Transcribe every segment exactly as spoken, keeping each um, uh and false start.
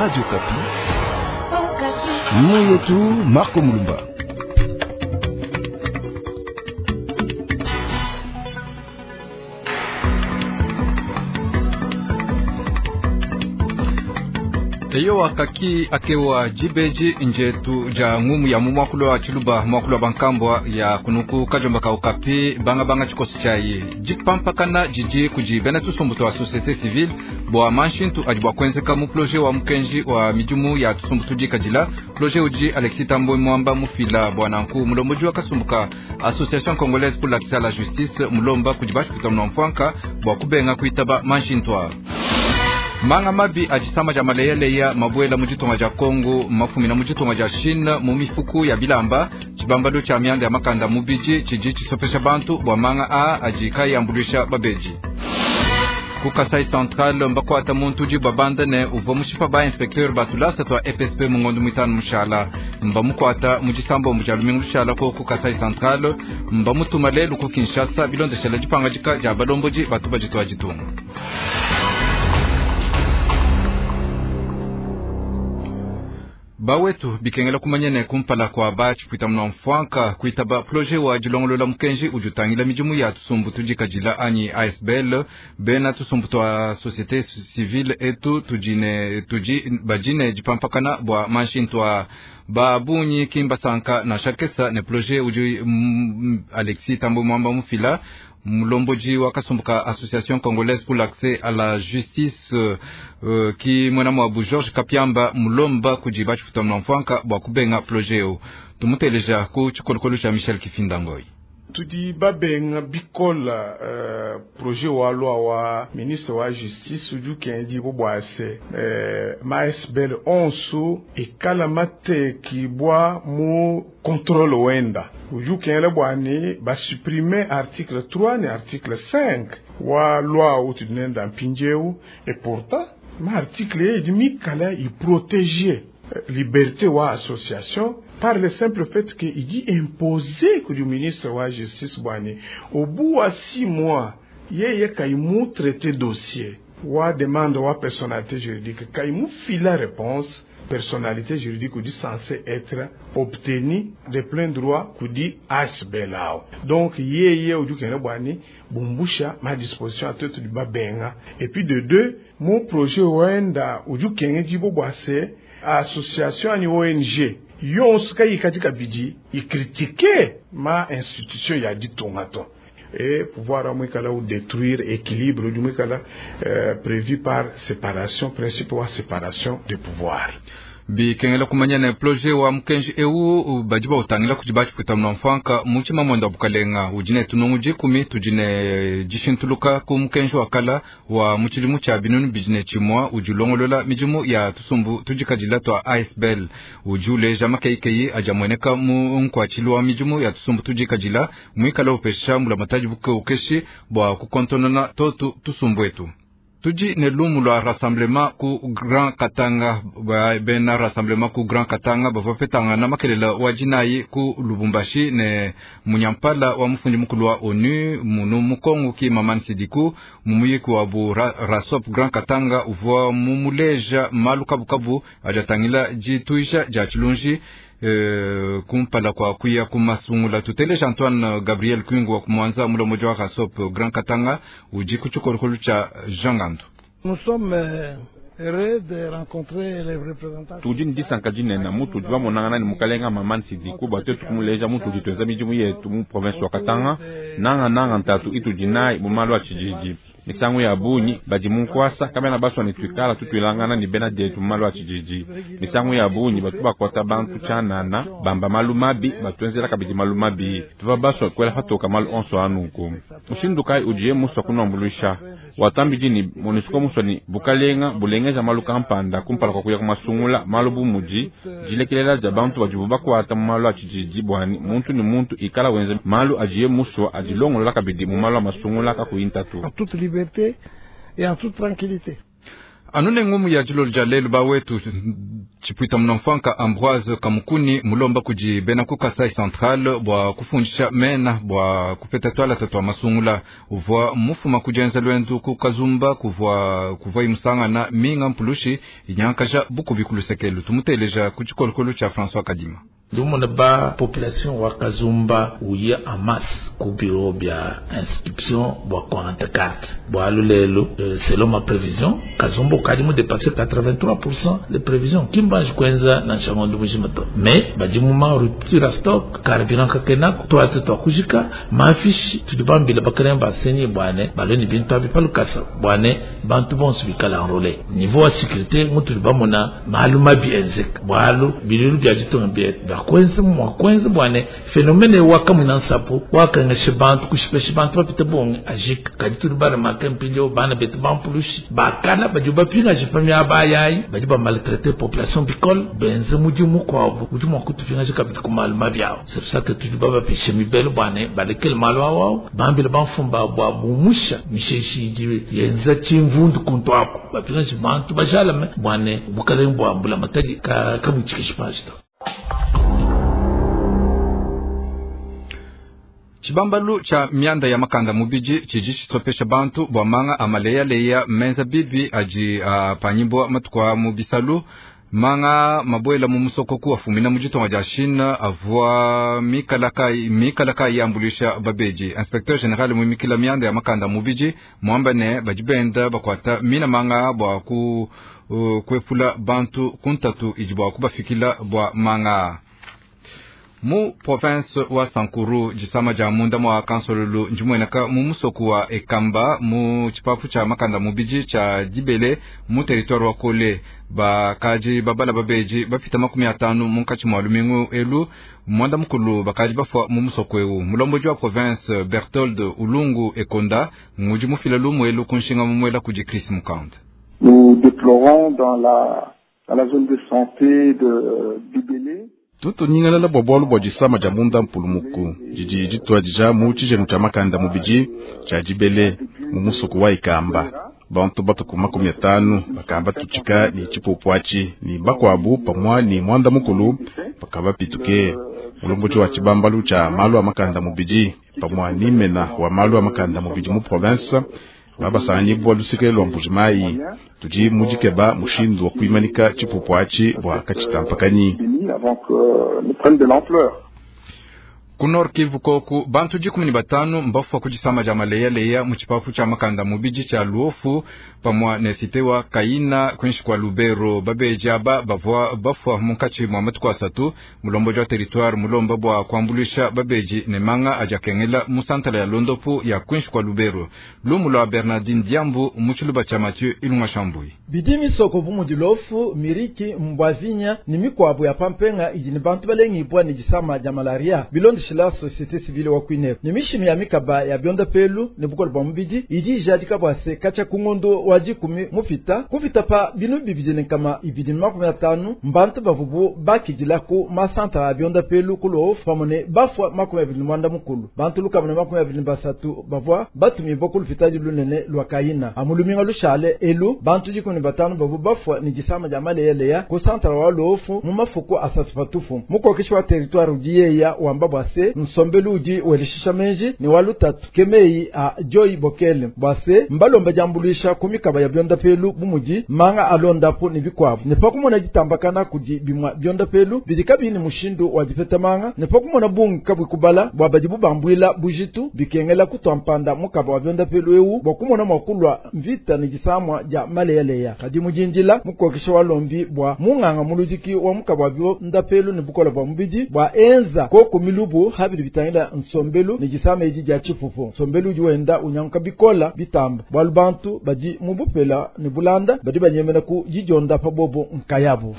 Radio Okapi. Mweyetu Marco Mulumba. Eyo wakaki akewa jibeji njetu ja ngumu ya mumwakulo wa chiluba mwakulo wa bankambwa ya kunuku kajomba ka Okapi banga banga chikosi chayi jipampakana jiji kuji bena tusumbu twa société civile bwa manshintu adi bwa kwenzeka mu projet wa mukenji wa mijumu ya tusumbu tujikajila projet uji Alexis Tambwe Mwamba mufila bwa nanku mulomboji wa kasumbuka Association Congolaise pour l'accès à la justice mulomba kujibashi kutamna mfwanka bwa kubenga kuitaba manshintu. Manga mabi ajisama ja maleyaleya mabwela mujitonga ja Kongo mafumi na mujitonga ja Chine mu mifuku ya bilamba chibambalo cha myanda ya makanda mubiji chiji chisopesha bantu bwa manga a ajikai ambulisha babeji. Ku Kasai Central mbakwata muntu udi babanda ne uvua mushipa ba inspecteur batulasa twa E P S P mungondo mwitanu mushala mbamukwata mujisambo muja lumingu lushala ko ku Kasai Central mbamutuma lelu ku Kinshasa bilondeshela dipangajika ja balomboji batu bajitwa jitunga. Bawetu bikengela kumanyene kumpala kwa bachi kuita mna mfwanka kuitaba projet wa jilongolola mukenji ujutangila mijimu ya tusumbu tujikajila anyi A S B L bena tusumbu twa société civile etu tujine tuji bajine jipampakana bwa manshintwa babunyi kimba sanka na shakesa ne projet uju mm, Alexis Tambwe Mwamba mufila mulomboji wa kasumbuka Association Congolaise pour l'accès à la justice euh, ki mwana mwabu Georges Kapiamba mulomba kujiba chifuta mfwanka bwa kubenga projet o tumuteleja ku chikolokolo cha Michel Kifinda Ngoi. Tudi babenga bikola uh, projet wa loi wa ministre wa justice udi kendi bo bwase uh, ma S B L onso ekala mateki bwa mu contrôle wenda udi kengela bwani ba supprimer article trois ne article cinq wa loi utu nenda mpinjeu et pourtant ma article edi mikala i protéger liberté wa association par le simple fait que il dit imposer que le ministre wa justice bwani au bout à six mois yeye kaimu traité dossier wa demande wa personnalité juridique kaimu fila réponse personnalité juridique dit censé être obtenue de plein droit kudi A S B L. Donc yeye uju kene bwani bumbusha ma disposition à tout du babenga et puis de deux mon projet wenda uju kene jibo bwase association ani O N G yonso kai katika bidi i critiquer ma institution ya ditongato et pouvoir amwikala ou détruire équilibre du mwikala euh, prévu par séparation principe wa séparation de pouvoir. Bikengela kumanya ne projet wa mukenji eu bajiba utangila kujiba chifuta mnamfanka muchima mwenda bukalenga ujine tunungu jikumi tujine jishintuluka ku mukenji wakala wa muchilimu cha binunu bijine chimwa ujulongolola mijumu ya tusumbu tujikajila twa A S B L ujuleja makeikeyi ajamweneka mu nkwachilwa wa mijumu ya tusumbu tujikajila mwikala upesha mula mataji buke ukeshi bwa kukontonona totu tusumbu etu. Tuji ne lumu lwa rassemblement ku Grand Katanga ba bena rassemblement ku Grand Katanga bavua petanga na makelela wa jinayi ku Lubumbashi ne munyampala wa mufundi mukulu wa ONU munu mukongo ki Maman Sidiku mumuyiki wa bu ra, Rasop Grand Katanga uvua mumuleja malu kabukabu ajatangila jituisha ja chilunji. Euh, kumpala kwa kuya kumasungula tuteleja Antoine Gabriel Kwingu wa kumwanza mulomoji wa Rasop Grand Katanga uji kuchukorokolo cha Jean Gandu. Nous sommes, euh, heureux de rencontrer les représentants. Tudi ni disanka dinene mutu udi bamonangana ni mukalenga Maman Sidiku bwa twetu kumuleja mutu udi tweza midimu yetu mu province wa Katanga nanga nanga ntatu itu dinai mu malu a tshididi. Misangu ya bunyi badi mu nkwasa kabena baswa ni twikala tutwilangana ni bena dietu mu malu a tshididi. Misangu ya bunyi batu bakwata bantu tshanana bamba malu mabi batwenzela kabidi malu mabi tuva baswa kwela patoka malu onso anuku. Mushindu kai udiye muswa kunombulusha watambidi ni MONUSCO muswa ni bukalenga bulengeja malu kampanda kumpala kwa kuya kumasungula malu bumudi jilekelela ja bantu badibu bakwata mu malu a tshididi bwani muntu ni muntu ikala wenze malu ajiye muswa adilongolola kabidi mu malu a masungula kakuyintatu. En toute liberté et en toute tranquillité. Anu ne ngumu ya dilolo dia lelu bawetu tshipwita munamfanka Ambroise Kamukuni mulomba kudi bena ku Kasai Central bua kufundisha mena bua kupeta twalata twa masungula uvua mufuma kujenza lwendu ku Kazumba kuvua kuvua imusangana minga mpulushi inyankaja bukubi kulusekelu tumuteleja ku tshikolokolo tshia François Kadima. Ndumona ba population wa Kazumba uya en masse ku bureau bia inscription bua kuangata carte bua lulelu, selon ma prévision Kazumba ukadi mu dépasser quatre-vingt-trois pour cent de prévision kimbanji kwenza na nshangondo mujima to mais badi mu ma rupture stock carburant kakena twate twakujika mafishi tudi bambila bakalemba basenyi bwane baleni bintu abi palukasa bwane bantu bonso bikala enrôlé niveau wa sécurité mutu bamona malu mabi enzeka bwalu bilulu bya ditonga bia kwenza mwa kwenza bwane phénomène wakamwina nsapu wakangeshe bantu kushipeshe bantu bapite bonge ajika kadi tuli bara makempilio bana betu bampulushi bakala badi bapingaje pamya abayayi badi ba maltraiter population bicole benze mudimu kwabo udi mwa kutupingaje kabidi ku malu mabi awo. C'est pour ça que tudi babapishe mibelo bwane balekele malu awo bambile bamfumba bwa bumusha misheshi idi yenza chimvundu kuntu ako bapingaje bantu bajalame bwane bukalenge bwa mbula matadi ka kabuchikishe pashito. Chibambalu cha mianda ya makanda mubiji chiji chitsopesha bantu bwa manga amaleyaleya menza bibi aji uh, panyibwa matukwa mu bisalu manga mabwela mu musoko ku afumina mu ditonga dia Chine avua mikalaka mikalaka yambulisha babeji. Inspecteur general muimikila mianda ya makanda mubiji mwamba ne badi benda bakwata mina manga bwa ku uh, kwepula bantu kuntatu idi bwa kubafikila bwa manga. Mu province wa Sankuru jisama ja munda mwa kansololu njimweneka mu musoku wa Ekamba mu chipapu cha makanda mubiji cha Dibele mu territoire wa Kole bakaji babala babeji bapita makumi atanu munkatshi mwa lumingu elu mwanda mukulu bakaji bafwa mu musoku ewu. Mulomboji wa province Berthold Ulungu Ekonda ngudi mufila lumu elu kunshinga mumwela kudi Chris Mukande. Nous déplorons dans la dans la zone de santé de Dibele tutunyingalala bwa bwalu bwa jisama ja munda mpulumuku jiji jitwa jija mu tshijenu tshia makanda mubiji tshia Dibele mu musuku wa Ikamba bantu batuku makumi atanu bakamba tutshika ni tshipupu atshi ni bakwabu pamwa ni mwanda mukulu bakaba pituke mulomboji wa tshibambalu tshia malu a makanda mubiji pamwa ni mena wa malu a makanda mubiji mu province babasanyibwa luseke lwa Mbujimayi tudi mudikeba mushindu wa kuimanika tshipupu atshi bwa katshitampakanyi avant que ne prenne de l'ampleur. Ku Nord Kivu koku bantu dikumi ni batanu mbafua kujisama ja maleyaleya mu tshipapu tshia makanda mubiji tshia Luofu pamwa ne site wa Kaina kwinshi kwa Lubero. Babeji aba bavua bafua munkatshi mwa matuku asatu mulomboji wa territoire mulomba bwa kuambulisha babeji ne manga ajakengela mu santala ya Londopu ya kwinshi kwa Lubero. Lumu lwa Bernardine Diambu mu tshiluba tshia Mathieu Ilunga Shambui. Bidi misoko bu mudi Luofu, Miriki, Mbwazinya ni mikwabu ya pampenga idi ni bantu balengibwa ni jisama ja malaria bilondi la société civile wa Kwine ni mishimi ya mikaba ya bionda pelu ni bukolo bwa mubidi idi jadika bwase kacha kungondo wa dikumi mufita kufita pa binu bibidi kama ibidi makumi atanu mbantu bavubu bakidila ku masanta ya bionda pelu kulo pamone bafwa makumi abili mwanda mukulu bantu lukamune makumi abili basatu bavwa batumi bokulu fitadi lunene lwa Kaina amuluminga lushale elu bantu dikumi batanu bavu bafwa ni jisama ja maleyaleya ku santara wa Luofu mu mafuku asatu patufu mukokesha wa territoire udiyeya wamba bwase nsombelu udi welishisha menji ni walutatu kemeyi a Joy Bokele bwase mbalomba jambulisha kumikaba ya bionda pelu bumudi manga alondapo ni bikwabu ne pakumona ditambakana kudi bimwa bionda pelu bidikabi ni mushindu wa dipeta manga ne pakumona bungi kabwi kubala bwa badi bubambwila bujitu bikengela kutwampanda mukaba wa bionda pelu ewu bwa kumona mwakulwa mvita ni jisamwa ja maleyaleya kadi mujindila mukokesha walombi bwa munganga muludiki wa mukaba wa bionda pelu ni bukola bwa mubidi bwa enza koko milubu habili bitangila nsombelu ni jisama iji ja chifufu nsombelu udi wenda unyanka bikola bitamba bwalu bantu badi mubupela ni bulanda badi banyemena ku jijonda pa bobo nkayabu.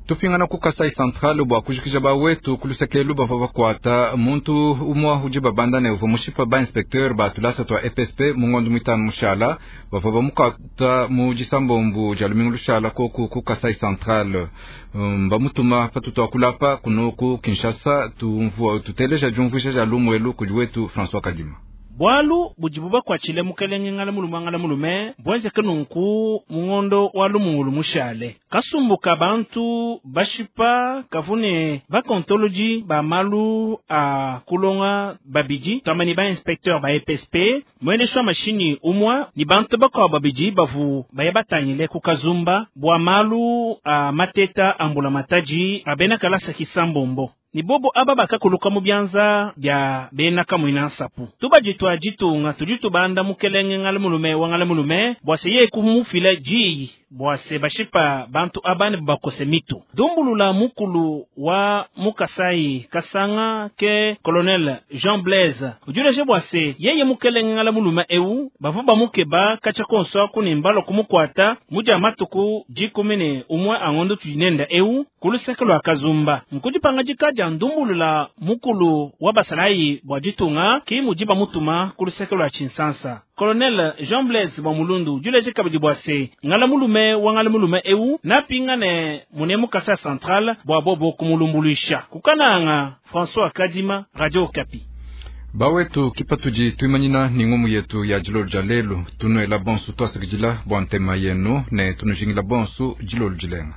Tupingana ku Kasai Central bwa kujikija bawetu kulusekelu bava bakwata muntu umwa udi babanda ne uva mushipa ba inspecteur ba tulasa twa F S P mungondo mitano mushala bava bamukata mu jisambombu ja lumingu lushala koku ku Kasai Central um, bamutuma patutu akulapa kuno ku Kinshasa tumvua tuteleja jumvuisha ja lumwelu kudi wetu François Kadima. Bwalu budibu bakwatshile mukelenge ngala mulume ngala mulume bwenzeke nunku mungondo wa lumungulu mushale. Kasumbuka bantu bashipa kavune bakontoloji ba malu a kulonga babidi twamani ba inspecteur ba E P S P mwendesha mashini umwa ni bantu bakwa babidi bavu baya batangile ku Kazumba bwa malu a mateta ambula mataji abena kalasa kisambombo ni bobo aba bakakuluka mu byanza bya bena kamwina nsapu. Tubajitwa jitunga tujitubanda mukelenge ngala mulume wa ngala mulume bwase ye kumufila jiyi bwase bashipa bantu abane bakose mitu. Dumbulula mukulu wa mukasai kasanga ke colonel Jean Blaise ujuleje bwase yeye mukelenge ngala mulume eu bavu bamukeba kacha konso kunimbalo kumukwata muja matuku jikumine umwe angondo tujinenda eu kuluseke lwa Kazumba nkujipanga jikaja ndumbulula mukulu wa basalayi bwa jitunga ki mujiba mutuma kuluseke lwa Chinsansa. Colonel Jean Blaise bwa mulundu juleje kabidi bwa se ngala mulume wa ngala mulume eu napingane munemu Kasa Central bwa bobo kumulumbuluisha kukananga. François Kadima, Radio Okapi. Bawetu kipatudi tuimanyina ni ngumu yetu ya jilolu ja lelu. Tunuela bonsu twasikidila bwa ntema yenu ne tunujingila bonsu jilolu jilenga.